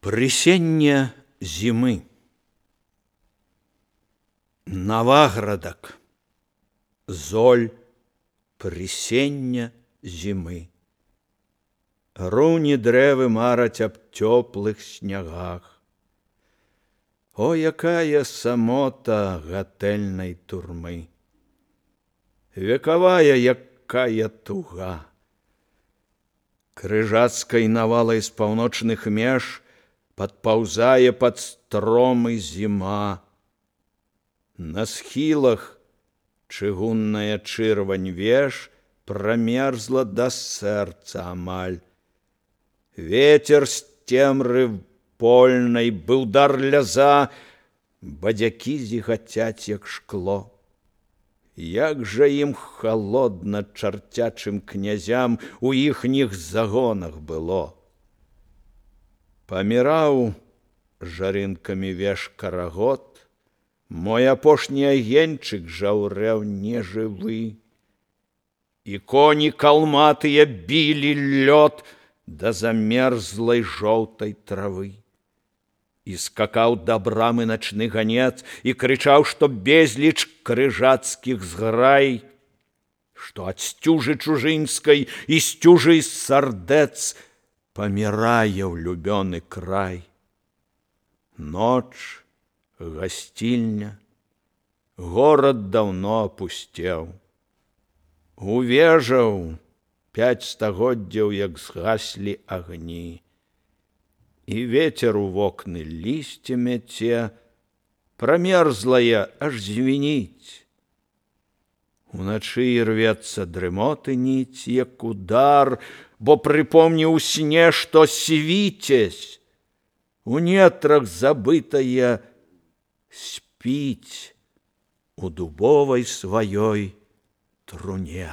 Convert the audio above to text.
Прысенне зімы. Наваградак, золь прысення зімы. Руні дрэвы мараць аб цёплых снягах. О, якая самота гатэльнай турмы! Векавая, якая туга! Крыжацкай навалай з паўночных меж падпаўзае пад стромы зіма. На схілах чыгунная чырвань веж прамерзла да сэрца амаль. Ветер з цемры польнай быў дар ляза, бадзякі зігацяць, як шкло. Як жа ім халодна чарцячым князям у іхніх загонах было. Паміраў жарынкамі веж карагод, мой апошні агеньчык жаўрэў нежывы. І коні калматыя білі лёд да замерзлай жоўтай травы. І скакаў да брамы начны ганец і крычаў, што безліч крыжацкіх зграй, што ад сцюжы чужынскай і сцюжы з сардэц памірае ў любёны край. Ноч, гасцільня, горад даўно апусцеў. У вежаў 5 стагоддзяў, як згаслі агні. І ветер у вокны лісце мяце, прамерзлая аж звініць. Уначы ірвецца дрымоты ніць, як удар, бо прыпомні ў сне, што свіцязь у нетрах забытая спіць у дубовай сваёй труне.